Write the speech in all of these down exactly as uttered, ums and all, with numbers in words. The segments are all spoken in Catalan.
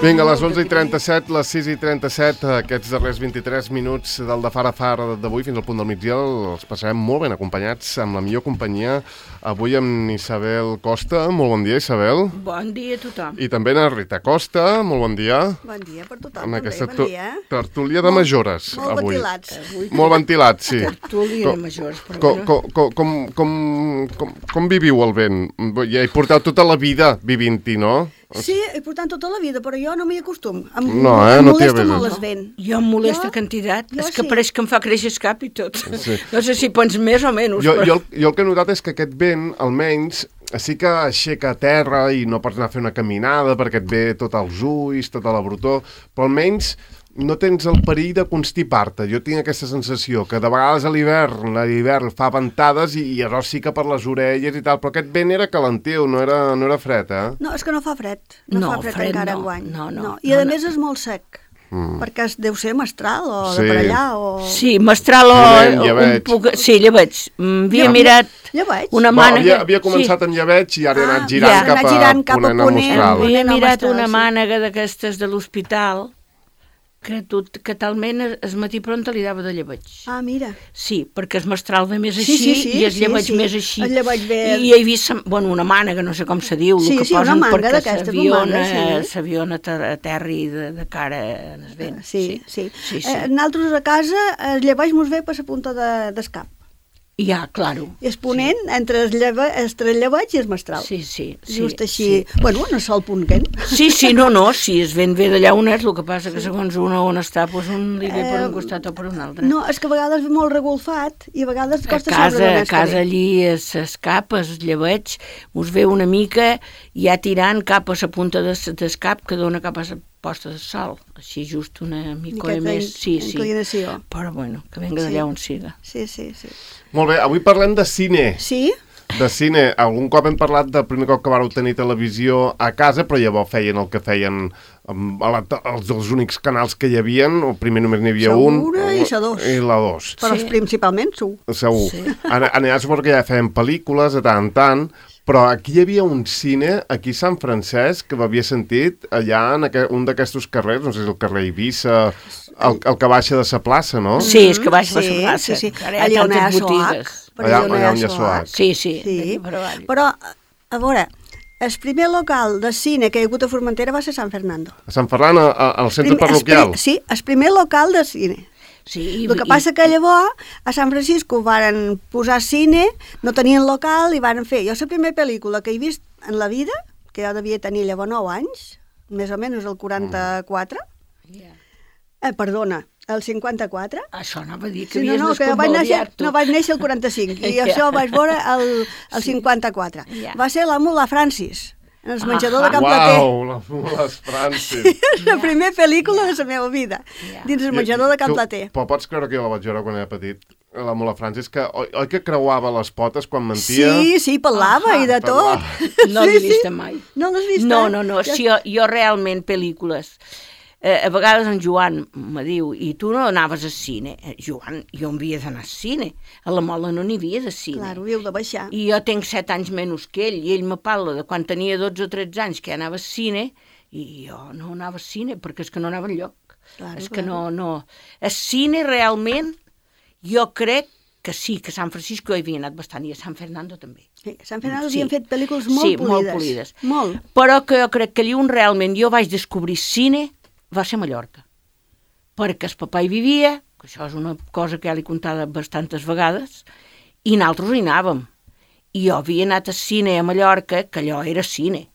Vinga, a les onze i trenta-set, les sis i trenta-set, aquests darrers vint-i-tres minuts del de Far a Far d'avui fins al punt del migdia els passarem molt ben acompanyats amb la millor companyia. Avui amb Isabel Costa. Molt bon dia, Isabel. Bon dia a tothom. I també a Rita Costa. Molt bon dia. Bon dia per tothom, amb també, aquesta bon dia. tertúlia de majores. Molt avui. ventilats. Avui Molt ventilats, sí. Tertúlia de majors, però Com, bueno. com, com, com, com, com, com viviu el vent? Ja hi porteu tota la vida vivint-hi, no? Sí, he portat tota la vida, però jo no m'hi acostumo. Em, No, eh, em no t'hi molesta aveses. molt el vent. Jo em molesta Jo- quantitat. jo És que sí. pareix que em fa créixer el cap i tot. Sí. No sé si pots més o menys, Jo, però... jo, el- jo el que he notat és que aquest vent, almenys, sí que aixeca a terra i no pots anar a fer una caminada perquè et ve tot als ulls, tota la brutor, però almenys no tens el perill de constipar-te. Jo tinc aquesta sensació que de vegades a l'hivern, a l'hivern fa ventades i, i llavors sí que per les orelles i tal, però aquest vent era calentiu, no era, no era fred, eh? No, és que no fa fred. No, No, fa fred, fred encara no, enguany. no, no, I no, a no. més és molt sec, Mm. perquè es deu ser mestral o Sí. de per allà o... Sí, mestral o... Llevent, o lleveig. un poc... Sí, lleveig. Mm, Havia Ja- mirat Ja veig. una Va, mànega... havia, havia començat sí. en lleveig i ara he Ah, anat girant, ja. cap, Anat a, girant cap a ponent a ponent. mostral. Ponent. Havia no, mirat mestral, una sí. mànega d'aquestes de l'hospital que, tot, que talment es matí pronta li dava de lleveig. Ah, mira. Sí, perquè es mestral ve més Sí, així sí, sí, i es sí, lleveig sí. més així. El lleveig ve- I he vist, bueno, una mànega, no sé com se diu, Sí, el que sí, una posen manga perquè d'aquesta, s'aviona bombaga, sí. s'aviona a terri de, de cara en el vent. Sí, sí. sí, sí. Eh, nosaltres a casa el lleveig mos ve per la punta de, d'escap. Ja, claro. I es ponent sí. entre, el lleve, entre el lleveig i el mestral. Sí, sí. sí Just així. Sí. Bueno, no sol punt que Sí, sí, no, no, si es vent ve d'allà on és, el que passa que segons una on està, doncs un li ve per un costat o per un altre. No, és que a vegades ve molt regolfat i a vegades A costa casa, sobre a més que casa bé. allí s'escapa, es lleveig, us ve una mica ja tirant cap a la punta d'escap que dona cap a la posta de sol. Així just una mica Miqueta més. Sí, in- sí. inclinació. Però bueno, que venga Sí. d'allà on siga. Sí, sí, sí. Molt bé, avui parlem de cine. Sí? De cine. Algun cop hem parlat del primer cop que vareu tenir televisió a casa, però llavors feien el que feien amb la, els, els únics canals que hi havien, o primer només n'hi havia Segura un. i la dos. I la dos. Però Sí. principalment su. Segur. Sí. En, en allà suposo que ja feien pel·lícules de tant en tant, però aquí hi havia un cine, aquí a Sant Francesc, que m'havia sentit allà en aqu un d'aquests carrers, no sé si el carrer Eivissa, el, el que baixa de la plaça, no? Sí, és que baix Sí, per la plaça. sí, sí. que ara hi ha Allà on hi ha tantes Soac. botigues. Per Allà- allà on hi allà ha on hi ha Soac. Soac. Sí, sí, Sí. d'aquí per avall. Però, a veure, el primer local de cine que hi ha hagut a Formentera va ser Sant Fernando. A Sant Ferran, a, a, al centre Primer- el parroquial. pri- Sí, el primer local de cine. Sí, El que passa que llavors a Sant Francisco varen posar cine, no tenien local i varen fer. Jo la primera pel·lícula que he vist en la vida, que jo devia tenir llavors nou anys, més o menys el quaranta-quatre, Ja. eh, perdona, el cinquanta-quatre. Això anava a dir que Sí, no, havies no, que jo vaig néixer, desconvaliat, tu. no vaig néixer el quaranta-cinc i Ja. això ho vaig veure el, el cinquanta-quatre. Ja. Va ser l'amo la Francis, en el menjador de Ahà. Can Plater. Uau, la, les Francis. La primera pel·lícula de la meva vida, Ja. dins el menjador de Can Tu- Plater. Però pots creure que jo la vaig veure quan era petit? La Mola Francis, que, oi, oi que creuava les potes quan mentia? Sí, sí, parlava Ahà, i de tot. parlava. No l'he vista mai. No l'has vist? No, eh? no, no, Ja- si jo, jo realment pel·lícules, eh, a vegades en Joan me diu, i tu no anaves al cine? Eh, Joan, jo em havia d'anar al cine, a la Mola no n'hi havia de cine. Clar, ho havíeu de baixar. I jo tinc set anys menys que ell, i ell me parla de quan tenia dotze o tretze anys que anava al cine, i jo no anava al cine, perquè és que no anava enlloc. Claro, és que claro. no, no... El cine realment, jo crec que sí, que a Sant Francisco hi havia anat bastant, i a Sant Fernando també. Sí, a Sant Fernando Sí. havien fet pel·lícules molt Sí, polides. molt polides. Molt. Però que jo crec que allí on realment jo vaig descobrir cine va ser a Mallorca. Perquè el papà hi vivia, que això és una cosa que ja li he contat bastantes vegades, i nosaltres hi anàvem. I jo havia anat al cine a Mallorca, que allò era cine.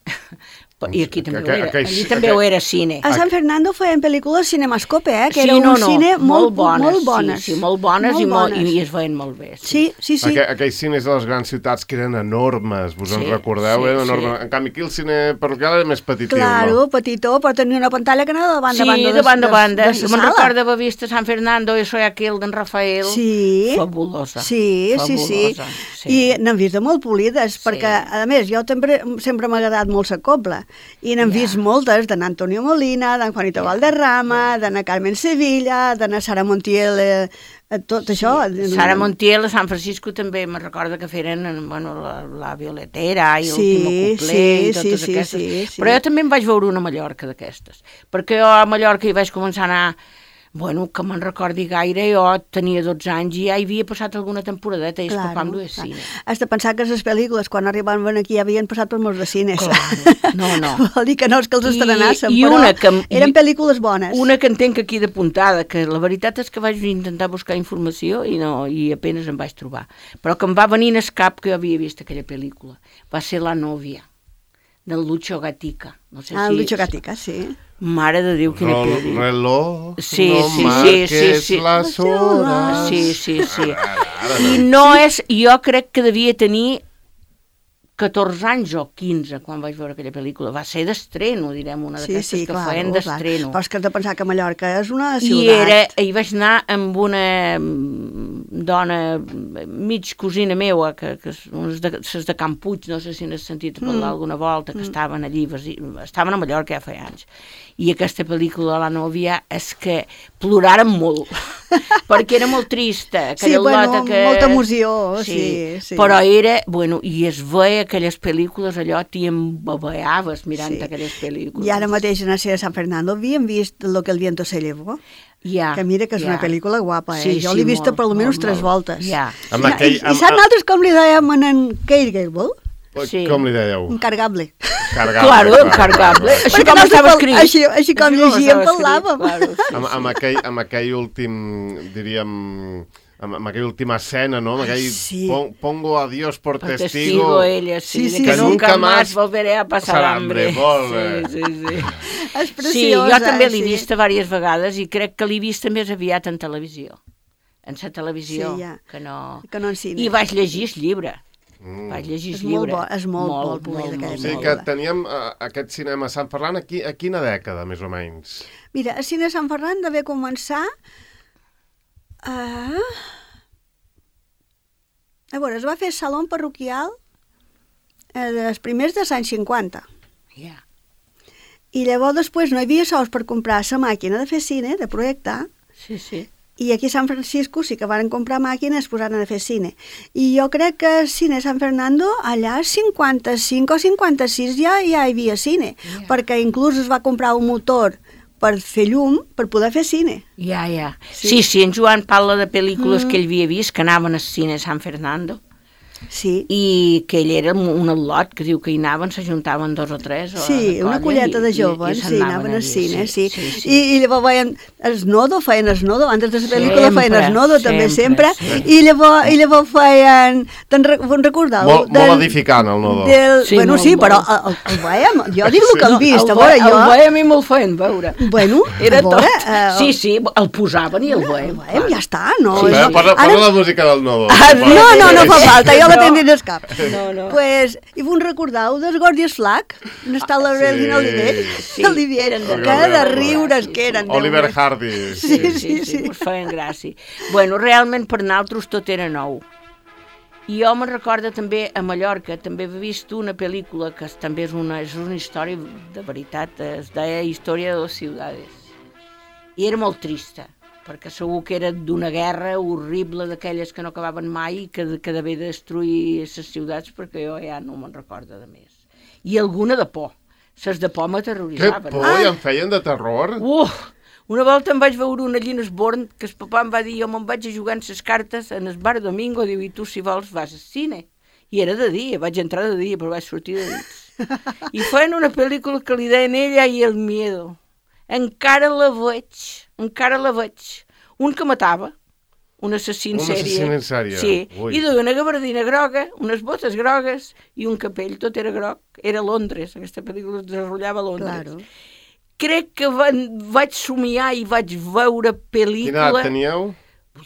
I aquí també Aqu- ho era. aquell- Allí també aquell- ho era cine. A Sant Fernando feien pel·lícules cinemascope, eh? Que Sí, era un no, no, cine molt, bones, molt bones. Sí, sí, molt bones, Molt i, molt, bones. i es veien molt bé. Sí, sí, sí. Aqu aquells cines de les grans ciutats que eren enormes, vos en Sí, recordeu? sí, Eren enormes. sí. En canvi, aquí el cine parroquial era més petitiu, Claro, no? petitó, però tenia una pantalla que anava de banda Sí, a banda. de banda a banda. De, de, Jo me'n recordo haver vist a Sant Fernando i soy aquel d'en Rafael. Sí. Fabulosa. Sí, sí, sí. Fabulosa, sí. I n'hem vist de molt polides, perquè, a més, jo sempre, sempre m'ha agradat molt la cobla. I n'hem Ja. vist moltes, d'en Antonio Molina, d'en Juanito Valderrama, d'en Carmen Sevilla, d'en Sara Montiel, eh, Eh, Tot això... Sí. Sara Montiel a San Francisco també me recorda que feren bueno, la, la Violetera i Sí, l'Último Cuplé sí, i totes sí, sí, aquestes. sí, sí. Però jo també em vaig veure una a Mallorca d'aquestes, perquè jo a Mallorca hi vaig començar a anar, bueno, que me'n recordi gaire, jo tenia dotze anys i ja hi havia passat alguna temporadeta i el papà em duia cine. Has de pensar que les pel·lícules, quan arribaven aquí, ja havien passat per molts de cines. Claro. No, no. Vol dir que no és que els estrenassen, I però una que, eren pel·lícules bones. Una que entenc aquí de puntada, que la veritat és que vaig intentar buscar informació i no i apenas em vaig trobar. Però que em va venir en escap que jo havia vist aquella pel·lícula. Va ser La Novia, del Lucho Gatica. No sé Ah, si... Lucho Gatica, sí. Mare de Déu, quina Rol, pel·li. reloj, Sí, no sí, marques sí, sí, sí. les hores. Sí, sí, sí. I no és... Jo crec que devia tenir catorze anys o quinze quan vaig veure aquella pel·lícula. Va ser d'estreno, direm, una Sí, d'aquestes sí, que clar, feien clar. d'estreno. Però és que has de pensar que Mallorca és una I ciutat. era, hi vaig anar amb una mm, dona, mig cosina meua, que, que és de, ses de Can Puig, no sé si n'has sentit parlar Mm. alguna volta, que estaven allí, estaven a Mallorca ja feia anys. I aquesta pel·lícula, La Novia, és que ploraren molt, perquè era molt trista. Sí, bueno, que... molta emoció, sí, sí. Però era, bueno, i es veia aquelles pel·lícules, allò t'hi embabeaves mirant Sí. aquelles pel·lícules. I ara mateix a Nacer de San Fernando havíem vist Lo que el viento se llevó. Ja, Que mira que és ja. una pel·lícula guapa, eh? Sí, Jo sí, l'he vista molt, per almenys molt, tres molt. voltes. Ja. Amb I, aquell- i, amb- i saps nosaltres com li dèiem en en Kate Gable? Sí. Com li dèieu? Encargable. Cargable. Claro, encargable. Així Perquè com nosaltres estava pel- escrit. Així, així com Així llegíem, estava escrit, parlàvem. claro, sí, Amb, sí. amb, aquell, amb aquell últim, diríem, amb, amb aquella última escena, no? Amb aquell Sí. pon, pongo a Dios por Per testigo. testigo ella, sí, Sí, sí, de que sí. nunca Nunca más más volveré a pasar pasar hambre. hambre, molt bé. Sí, sí, sí. És preciosa. Sí, jo també l'he sí. vista diverses vegades i crec que l'he vista més aviat en televisió. En la televisió, Sí, ja. que no... Que no en cine. I vaig llegir el llibre. Mm. Vaig llegir És el molt llibre. bo, és molt bo el públic d'aquella Sí, pel·lícula. que teníem uh, aquest cinema a Sant Ferran aquí, a quina dècada, més o menys? Mira, a Cine Sant Ferran devia començar a... A veure, es va fer saló parroquial eh, dels primers dels anys cinquanta. Ja. I llavors després no hi havia sols per comprar la màquina de fer cine, de projectar, Sí, sí. i aquí a San Francisco sí que van comprar màquines i es posaren a fer cine. I jo crec que al Cine San Fernando allà cinquanta-cinc o cinquanta-sis ja, ja hi havia cine, Ja. perquè inclús es va comprar un motor per fer llum per poder fer cine. Ja, ja. Sí. Sí, sí, en Joan parla de pel·lícules Mm. que ell havia vist, que anaven al cine San Fernando, Sí. i que ell era un al·lot, que diu que hi anaven, s'ajuntaven dos o tres. O Sí, de una colla, colleta i- de i- joves, i se'n sí, anaven al allí, cine, sí. sí, sí. I, I llavors veien Esnodo, feien Esnodo, antes de la pel·lícula feien Sempre, Esnodo, també sempre, sempre, i llavors, i llavors feien, te'n re, te'n recordeu? Molt, molt edificant, el Nodo. Del, Sí, bueno, molt, sí, molt. però el, el, el veiem, jo dic el que hem vist, El a veure, ve- jo... El veiem i me'l feien veure. Bueno, Era a veure, tot. eh, Sí, sí, el posaven i el el veiem. veiem, ja està, no? Sí, Posa, sí. posa, Ara- posa la música del Nodo. Ah, si sí. pots. No, no, no fa falta, jo la No. tenia dins cap. No, no. Pues, i vos recordeu dels Gordius Flack? On està la Sí. Regina Oliver? Sí, Oliver, eren de que de riure. riures Sí, que sí. eren. Déu Oliver meu. Hardy. Sí, Sí, sí, sí, us feien gràcia. Bueno, realment per nosaltres tot era nou. I jo me'n recordo també a Mallorca, també he vist una pel·lícula que és- també és una, és una història de veritat, es deia Història de les ciutats. I era molt trista, perquè segur que era d'una guerra horrible d'aquelles que no acabaven mai i que, que devia destruir les ciutats, perquè jo ja no me'n recordo de més. I alguna de por. Ses de por Que m'aterroritzaven. por, i em feien de terror. Uh, una volta em vaig veure una allí en Esborn, que el papà em va dir, jo me'n vaig a jugar en ses cartes en el bar Domingo, diu, i tu si vols vas al cine. I era de dia, vaig entrar de dia, però vaig sortir de nit. I feien una pel·lícula que li deien Ella i el miedo. Encara la veig, encara la veig. Un que matava, un assassí en Un sèrie. assassí en sèrie, Sí, ui. i duia una gabardina groga, unes botes grogues i un capell, tot era groc. Era a Londres, aquesta pel·lícula es desenvolupava a Londres. Claro. Crec que van, vaig somiar i vaig veure Quina pel·lícula... edat teníeu?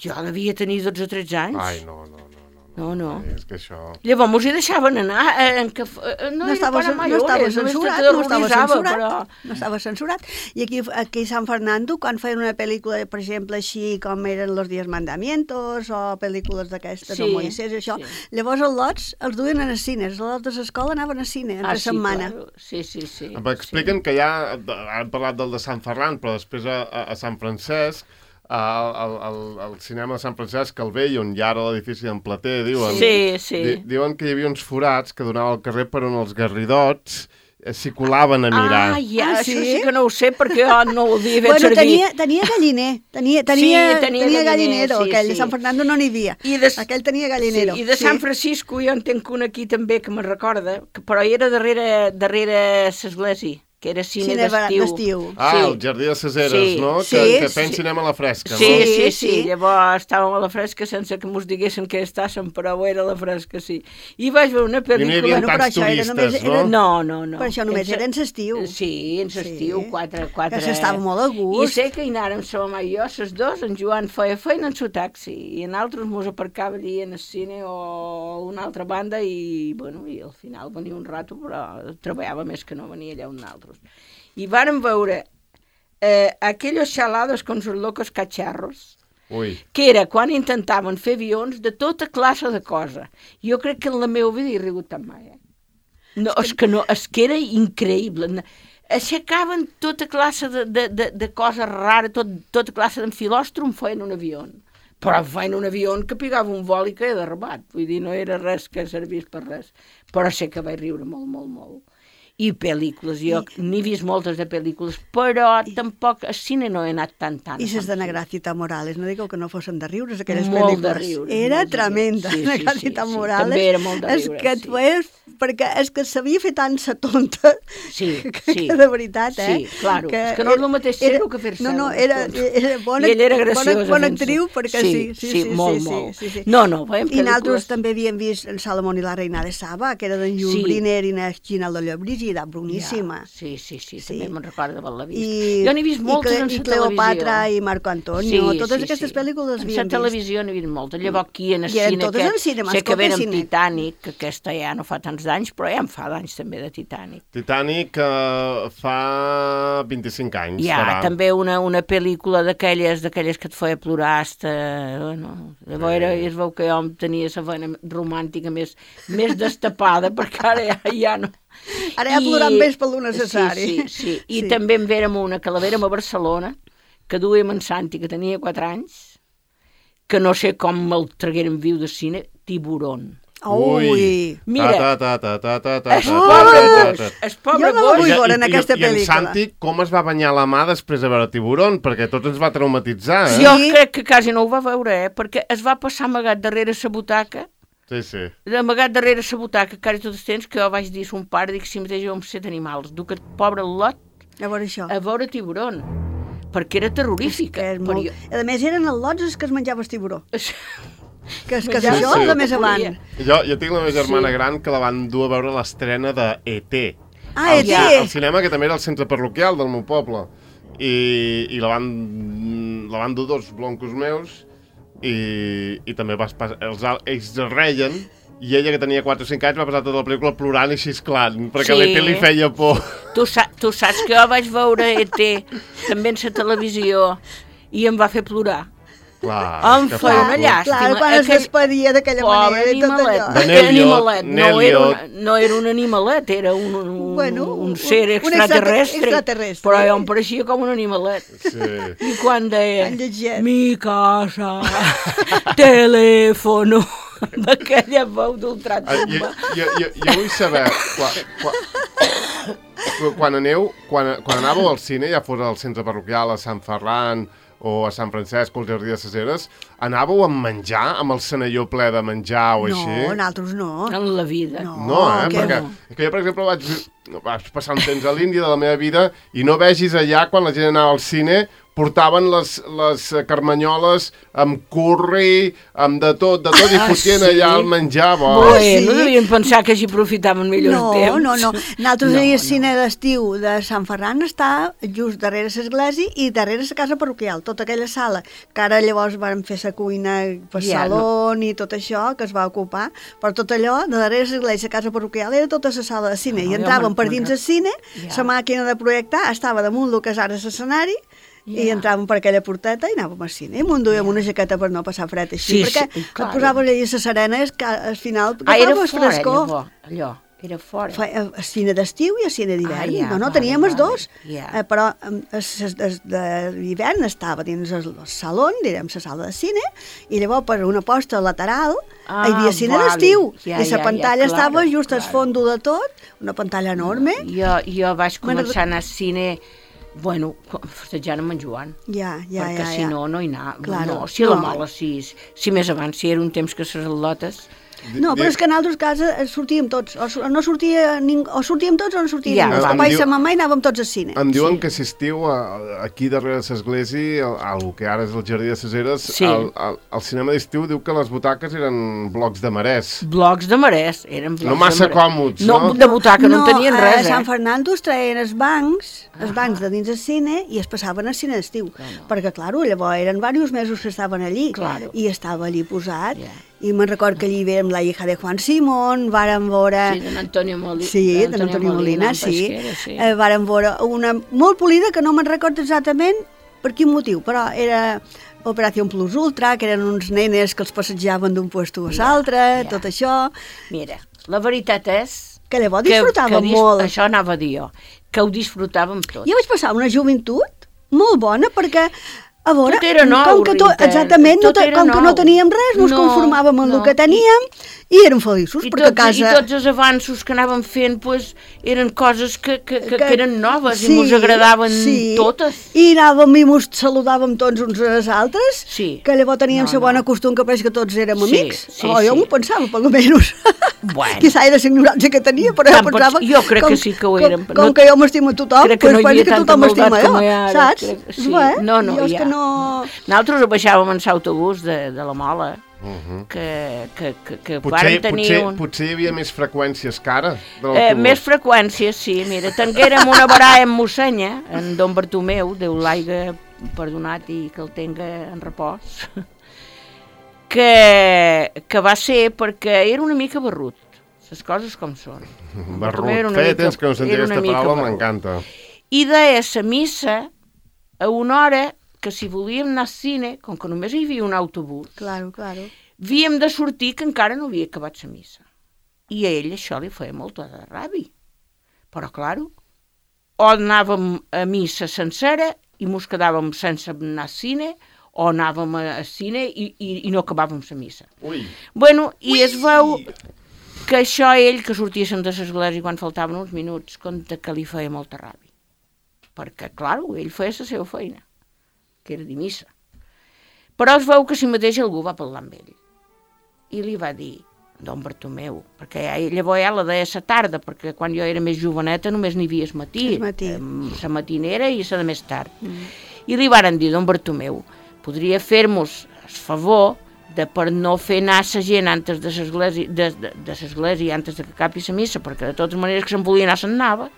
Jo devia tenir dotze o tretze anys. Ai, no, no, no. No, no. Ai, és que això... Llavors mos hi deixaven anar, eh, en que, eh, no, No estava, era para no mayores, estava només censurat, te no estava terroritzava, censurat, però... no estava censurat. I aquí, aquí a San Fernando, quan feien una pel·lícula, per exemple, així com eren Los Diez Mandamientos o pel·lícules d'aquestes, Sí, o Moisés, això, sí. llavors els lots els duien a cines, els lots de l'escola anaven a cine, entre Ah, sí, setmana. claro. Sí, sí, sí. Em expliquen que ja, han parlat del de Sant Ferran, però després a, a, a Sant Francesc, al, al, al, al cinema de Sant Francesc el Vell, on hi ha ara l'edifici d'en Plater, diuen, Sí, sí. di, diuen que hi havia uns forats que donava al carrer per on els garridots s'hi colaven a mirar. Ah, ja, Ah, això sí? sí que no ho sé perquè jo no ho havia fet Bueno, servir. tenia, tenia galliner, tenia, tenia, Sí, tenia tenia galliner, gallinero, sí, aquell sí. de Sant Fernando no n'hi havia. I de, Aquell tenia gallinero. Sí, i de sí. Sant Francisco jo en tenc un aquí també que me recorda, que, però era darrere, darrere l'església, que era cine, Cine d'estiu. d'estiu. Ah, sí. el Jardí de les Eres, Sí, no? sí, que, que sí. feien cinema a la fresca, Sí, no? sí, sí, Sí. llavors estàvem a la fresca sense que mos diguessin que estàssim, però era a la fresca, sí. I vaig veure una I no hi pel·lícula... havia Bueno, però tants això era turistes, només- no? era- No, no, no. Però això només En era en l'estiu. Sí, en l'estiu, Sí. quatre, quatre... Que s'estava molt a gust. I sé que hi anàrem, sa mamà i jo, ses dos, en Joan feia feina en su taxi, i en altres mos aparcava allí en el cine o a una altra banda, i, bueno, i al final venia un rato, però treballava més que no venia allà un altres. I vàrem veure eh, aquellos xalados con sus locos cacharros, Ui. que era quan intentaven fer avions de tota classe de cosa. Jo crec que en la meva vida he rigut tan mai, eh? No, és que no, és que era increïble. Aixecaven tota classe de, de, de, de coses rares, tot, tota classe d'enfilòstrom feien un avió. Però feien un avió que pigava un vol i queia derrabat. Vull dir, no era res que servís per res. Però sé que vaig riure molt, molt, molt. I pel·lícules, jo I, n'he vist moltes de pel·lícules, però i, tampoc al cine no he anat tant, tant. I ses de Negracita Morales, no digueu que no fossin de riures, aquelles molt pel·lícules. De riures, era molt de tremenda, sí, sí, Negracita sí, sí, Morales. també era molt de és riures, que sí. és, perquè és que sabia fer tant sa tonta, sí, que, sí. que de veritat, eh? Sí, claro, que és que no és el mateix ser-ho que fer-se. No, no, era, era bona, I ella era graciosa. bona, bona actriu, perquè sí, sí, sí, sí, molt, sí, molt. sí, sí. No, no, veiem I pel·lícules... nosaltres també havíem vist en Salomón i la reina de Saba, que era d'en Jules Sí. Briner i en Ginaldo Llobrígida, boníssima. Ja, sí, sí, sí, Sí. també me'n recordo d'haver-la vist. I, jo n'he vist moltes i, en i la Cleopatra televisió. i Marco Antonio, totes aquestes pel·lícules les En havíem la vist. televisió n'he vist moltes. Llavors aquí en el I eren cine, totes que, en cinema, sé que escolta, veren cine. Titanic, que aquesta ja no fa tants d'anys, però ja en fa d'anys també de Titanic. Titanic uh, fa vint-i-cinc anys. Hi ha farà. també una, una pel·lícula d'aquelles d'aquelles que et feia plorar hasta, bueno, llavors era, es veu que jo tenia la vena romàntica més, més destapada, perquè ara ja, ja no... Ara ja plorant més pel lo necessari. Sí, sí, sí. I Sí. també en vérem una, que la vérem a Barcelona, que duíem en Santi, que tenia quatre anys, que no sé com me'l traguérem viu de cine, Tiburón. Ui! Mira, ta, ta, ta, ta, ta, es ta, pobre ta, ta, gos, ta. es pobre Jo no la gos. vull I- veure i- en aquesta i, I en pel·lícula. Santi com es va banyar la mà després de veure Tiburón? Perquè tot ens va traumatitzar, eh? Jo Sí. crec que quasi no ho va veure, eh? Perquè es va passar amagat darrere sa butaca, Sí, sí. amagat darrere sa butaca, quasi tot el temps que jo vaig dir a son pare, dic, si mateix jo em sé d'animals, duc aquest pobre lot A veure això. a veure Tiburón, perquè era terrorífica. Que és però molt... jo- A més, eren els lots els que es menjava el tiburó. Que, és que Menjava això sí. és de més que avant. podia. Jo, jo tinc la meva germana Sí. gran que la van dur a veure l'estrena de E T Ah, al, E T! al cinema, que també era el centre parroquial del meu poble. I, i la, van, la van dur dos bloncos meus i, i també vas pas, els, al- ells es reien i ella, que tenia quatre o cinc anys, va passar tota la pel·lícula plorant i xisclant, perquè Sí. l'E T li feia por. Tu, sa tu saps que jo vaig veure E T també en la televisió i em va fer plorar. Clar, Em que feia fa una por. llàstima. Clar, quan es Aquell- despedia d'aquella Pobre manera i tot animalet. allò. De Aquell Neliot, animalet no era, Neliot. una, no era un animalet, era un, un, Bueno, un un- ser un extraterrestre. extraterrestre. Però jo em pareixia com un animalet. Sí. I quan deia, Tan lletget. mi casa, telèfono, amb aquella veu Ah, jo, d'ultratumba. jo, jo, jo vull saber, quan, quan, quan, aneu, quan, quan anàveu al cine, ja fos al centre parroquial, a Sant Ferran o a Sant Francesc o al Jardí de les Eres, anàveu amb menjar, amb el cenelló ple de menjar o així? No, nosaltres no. En la vida. No. No, eh? que Perquè no. és que jo, per exemple, vaig, vaig passar un temps a l'Índia de la meva vida i no vegis allà, quan la gent anava al cine, portaven les, les carmanyoles amb curri, amb de tot, de tot, i Ah, fotien sí? allà el menjar. Bo. Bueno, sí? devien pensar que així aprofitaven millor No, el temps. no, no. Nosaltres No, no, el no. cine d'estiu de Sant Ferran està just darrere l'església i darrere la casa parroquial, tota aquella sala, que ara llavors van fer la cuina per Ja, saló i tot això, que es va ocupar, però tot allò, de darrere l'església, la casa parroquial, era tota la sala de cine, Ah, i ja entràvem me'n- per me'n dins rec- el cine, Ja. la màquina de projectar estava damunt el que és ara l'escenari, i Ja. entràvem per aquella porteta i anàvem al cine. I m'ho enduíem una jaqueta per no passar fred així, Sí, perquè sí, et claro. posaves allà a la serena i al final Ah, era agafaves fora, frescor. llavors, allò. Era fora. Fa, a, a cine d'estiu i a cine d'hivern. Ah, ja, no, no, vale, teníem els vale, dos. ja. Eh, però eh, d'hivern estava dins el, el saló, direm, la sala de cine, i llavors per una posta lateral Ah, hi havia cine vale. d'estiu. Ja, I la ja, pantalla ja, estava claro, just claro. al fons de tot, una pantalla enorme. Jo, jo vaig Bueno, començar a anar al cine, bueno, festejant amb en Joan. Ja, ja, perquè ja. si ja. no, no hi anava. Claro, no, si a la no. Mola, si, si més abans, si era un temps que les al·lotes... No, però és que en altres casos sortíem tots, o, su- no sortia ning... o sortíem tots o no sortia Ja, ningú. El va. papa Em i diu- sa mamà i anàvem tots al cine. Em diuen Sí. que si estiu a, aquí darrere de l'església, al que ara és el Jardí de ses Eres, Sí. el, el, el cinema d'estiu diu que les butaques eren blocs de marès. Blocs de marès, eren blocs No massa de marès. còmods, no? no? De butaca no, en tenien res, a Sant eh? Fernando es traien els bancs, els bancs de dins del cine, i es passaven al cine d'estiu. Claro. Perquè, clar, llavors eren diversos mesos que estaven allí, Claro. i estava allí posat. Ja. I me'n record que allí vèiem La hija de Juan Simón, vàrem veure... Sí, d'en Antonio Molina. Sí, d'en Antonio Molina, en sí. Pesquera, sí. Eh, vàrem veure una molt polida, que no me'n recordo exactament per quin motiu, però era Operació Plus Ultra, que eren uns nenes que els passejaven d'un puesto a l'altre, ja. tot això, Mira, la veritat és... que llavors que, disfrutàvem que dis- molt. Això anava a dir jo, que ho disfrutàvem tot. Jo vaig passar una joventut molt bona perquè, a veure, Tot era nou, com que tot, Rita, exactament, no, tot te- era com que no nou. teníem res, ens No, conformàvem amb no. el que teníem i, érem feliços, I perquè tots, a casa... I tots els avanços que anàvem fent pues, eren coses que, que, que, que eren noves sí, i ens agradaven sí. totes. I anàvem i ens saludàvem tots uns als altres, Sí. que llavors teníem No, la bona no. costum que pareix que tots érem Sí, amics. sí, o jo sí. m'ho pensava, per almenys. Bueno. Quizà era la ignorància que tenia, però Tant jo pots- pensava... jo crec com, que sí que ho com, érem. Com No- que jo m'estimo a tothom, Crec que no doncs hi havia penso que tanta tothom m'estima maldat jo, com hi ha ara, saps? crec que sí. Bé, No, no, jo és hi ha. que no... Nosaltres baixàvem en l'autobús de, de la Mola, Uh -huh. que, que, que, que Potser, vàrem tenir potser, un... potser hi havia més freqüències que ara, de Eh, l'autobús. més freqüències, sí. Mira, tenguérem una baralla amb Mossenya, en Don Bartomeu, Déu l'aiga perdonat i que el tenga en repòs, que, que va ser perquè era una mica barrut, les coses com són. En Bartomeu era Barrut, una feia mica- temps que no sentia era una aquesta mica paraula, barrut. m'encanta. I deia la missa a una hora que si volíem anar al cine, com que només hi havia un autobús, Claro, claro. havíem de sortir que encara no havia acabat la missa. I a ell això li feia molta de ràbia. Però, claro, o anàvem a missa sencera i mos quedàvem sense anar al cine, o anàvem a- al cine i, i, i no acabàvem la missa. Ui. Bueno, i es veu que això ell, que sortíssim de l'església quan faltaven uns minuts, compte que li feia molta ràbia. Perquè, clar, ell feia la seva feina, que era dir missa. Però es veu que si mateix algú va parlar amb ell. I li va dir, Don Bartomeu, perquè ja, llavors ja la deia a la tarda, perquè quan jo era més joveneta només n'hi havia el matí, El matí. la matinera i la de més tard. Mm. I li varen dir, Don Bartomeu, podria fer-nos el favor de per no fer anar la gent antes de l'església, de, de, de l'església antes de que acabi la missa, perquè de totes maneres que se'n volia anar se'n anava,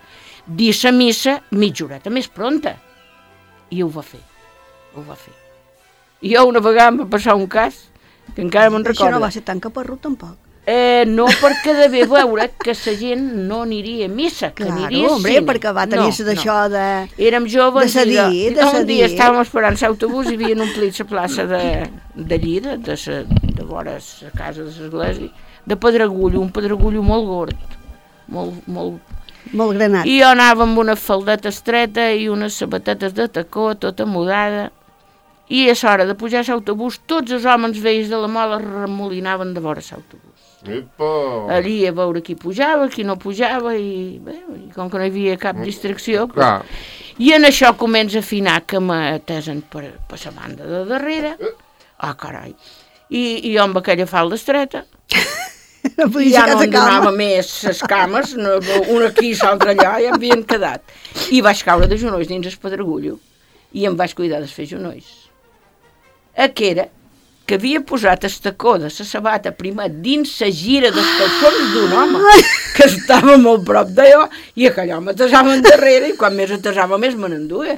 dir la missa mitja horeta més pronta. I ho va fer, ho va fer. I jo una vegada em va passar un cas, que encara me'n Això recordo. no va ser tan caparrut, tampoc. Eh, no perquè devia veure que la gent no aniria a missa, que Claro, aniria al hombre, cine. perquè va tenir-se d'això de... Érem joves de cedir, i de un cedir. dia estàvem esperant l'autobús i havien omplit la plaça de, de Lleida, de, sa, de vora la casa de l'església, de pedregullo, un pedregullo molt gord, molt, molt... Molt granat. I jo anava amb una faldeta estreta i unes sabatetes de tacó, tota mudada, i a l'hora de pujar a l'autobús tots els homes vells de la Mola remolinaven de vora l'autobús. Epa! Allí a veure qui pujava, qui no pujava, i, bé, i com que no hi havia cap distracció... Clar. I en això comença a afinar que m'atesen per, per la banda de darrere. Ah, carai. I, i jo amb aquella falda estreta, No i podia ja ser no casa em calma. donava més les cames, no, una aquí i l'altra allà, i em havien quedat. I vaig caure de genolls dins el pedregullo i em vaig cuidar de fer genolls. A que era que havia posat el tacó de la sabata primer dins la gira dels calçons d'un home que estava molt prop d'allò i aquell home atesava endarrere i quan més atesava més me n'enduia.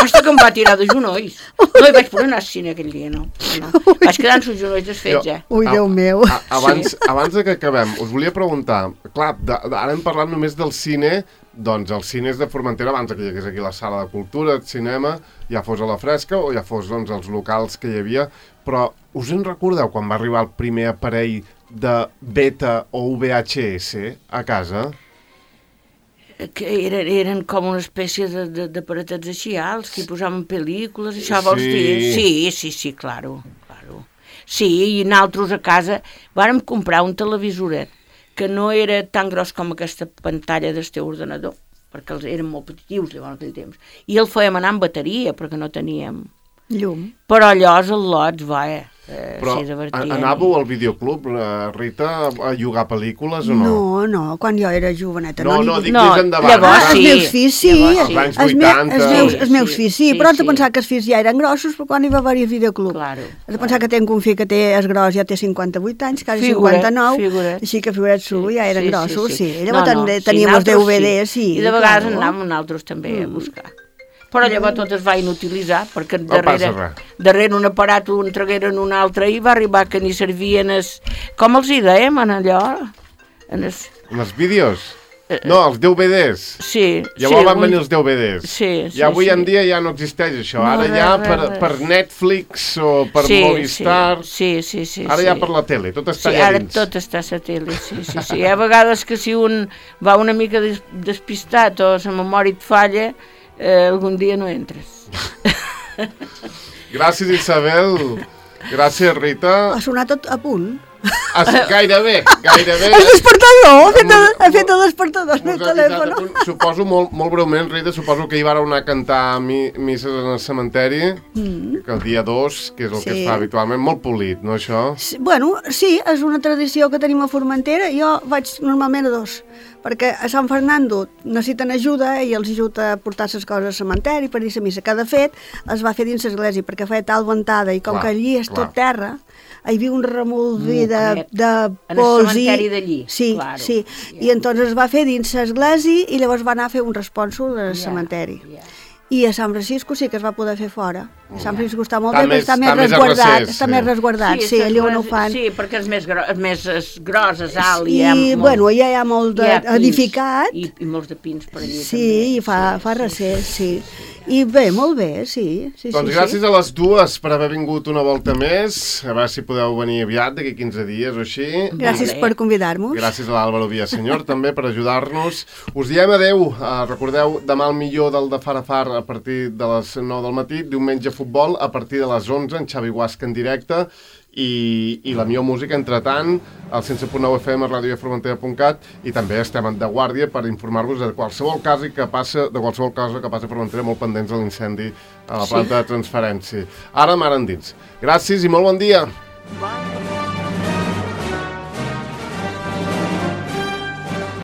Hasta que em va tirar de genolls. No hi vaig poder anar al cine aquell dia, no. no. Vaig quedar amb els genolls desfets, Jo- eh. Ui, Déu meu. A, abans, sí. abans de que acabem, us volia preguntar, clar, de, de, ara hem parlat només del cine, doncs els cines de Formentera, abans que hi hagués aquí la sala de cultura, el cinema, ja fos a la fresca o ja fos doncs, els locals que hi havia, però us en recordeu quan va arribar el primer aparell de beta o V H S a casa? Que eren, eren com una espècie d'aparatets així alts, que hi posaven pel·lícules, això vols Sí. dir? Sí, sí, sí, claro, claro. Sí, i nosaltres a casa vàrem comprar un televisoret que no era tan gros com aquesta pantalla del teu ordenador, perquè els eren molt petitius llavors aquell temps, i el fèiem anar amb bateria, perquè no teníem... Llum. Però allò, els al·lots, va, eh? Eh, Però sí, divertien. anàveu al videoclub, eh, Rita, a llogar pel·lícules o no? No, no, quan jo era joveneta. No, no, no, dic No, més endavant. llavors Ah, ara. els sí. meus fills sí, Llavors sí. Els anys els, me, vuitanta. els, meus, Sí, els meus sí, fills sí, sí, però has de sí. pensar que els fills ja eren grossos, però quan hi va haver videoclub. Claro, Has de pensar que tenc un fill que té, és gros, ja té cinquanta-vuit anys, quasi Figura't, cinquanta-nou, figura't. així que figura't su, ja eren Sí, sí, grossos, sí. sí. Llavors No, no, també sí, teníem els nosaltres D V Ds, sí. I de vegades claro. anàvem nosaltres també a buscar. Però llavors tot es va inutilitzar, perquè No passa darrere, res. darrere un aparat ho entregueren un altre i va arribar que ni servien es... Com els hi dèiem, en allò? En es... En els vídeos? No, els D V Ds. Sí, Llavors sí, van un- venir els D V Ds. Sí, sí, I avui sí. en dia ja no existeix això. No, Ara res, ja res, per, res. per Netflix o per sí, Movistar... Sí, sí, sí. Ara sí. ja per la tele, tot està Sí, allà ara dins. tot està a la tele, sí, sí, sí. Hi ha vegades que si un va una mica des despistat o la memòria et falla, eh, algun dia no entres. Gràcies, Isabel. Gràcies, Rita. Ha sonat tot a punt. As, gairebé, gairebé. El despertador! Ha fet el, ha fet el despertador el meu Us ha avisat a telèfon. punt. Suposo, molt, molt breument, Rita, suposo que hi vareu anar a cantar mi, misses en el cementeri, mm. que el dia dos, que és el sí. que Sí. es fa habitualment, molt polit, no, això? Sí, bueno, sí, és una tradició que tenim a Formentera. Jo vaig normalment a dos, perquè a Sant Fernando necessiten ajuda i els ajuda a portar les coses al cementeri per dir la missa, que de fet es va fer dins l'església perquè feia tal ventada i com Clar, que allí és clar. tot terra, hi havia un remolví de, Moquet. de En el pols i... cementeri d'allí, Sí, claro. sí, i entonces es va fer dins l'església i llavors va anar a fer un responsol al Ja, cementeri. ja. I a Sant Francisco sí que es va poder fer fora. A Sant Francisco està molt Està bé, però més- està més està més a resguardat, recés, està sí. més resguardat, sí, allà on ho fan. Sí, perquè és més, gro és més és gros, és alt. I, hi ha molt, bueno, ja hi ha molt de, hi ha pins, edificat. I, I molts de pins per allí Sí, també. i fa, sí, fa sí, recés, sí. I bé, molt bé, sí. sí Doncs sí, gràcies sí. a les dues per haver vingut una volta més. A veure si podeu venir aviat, d'aquí quinze dies o així. Gràcies Vale. per convidar-nos. Gràcies a l'Àlvaro Villasenyor també per ajudar-nos. Us diem adeu. Uh, recordeu, demà el millor del de Far a Far a partir de les nou del matí. Diumenge futbol a partir de les onze, en Xavi Guasca en directe. I, i la millor música, entre tant, al cent set punt nou F M a ràdio formentera punt cat, i també estem de guàrdia per informar-vos de qualsevol cas que passa, de qualsevol cosa que passa a Formentera, molt pendents de l'incendi a la planta de transferència. Ara, mar endins. Gràcies i molt bon dia. Bon.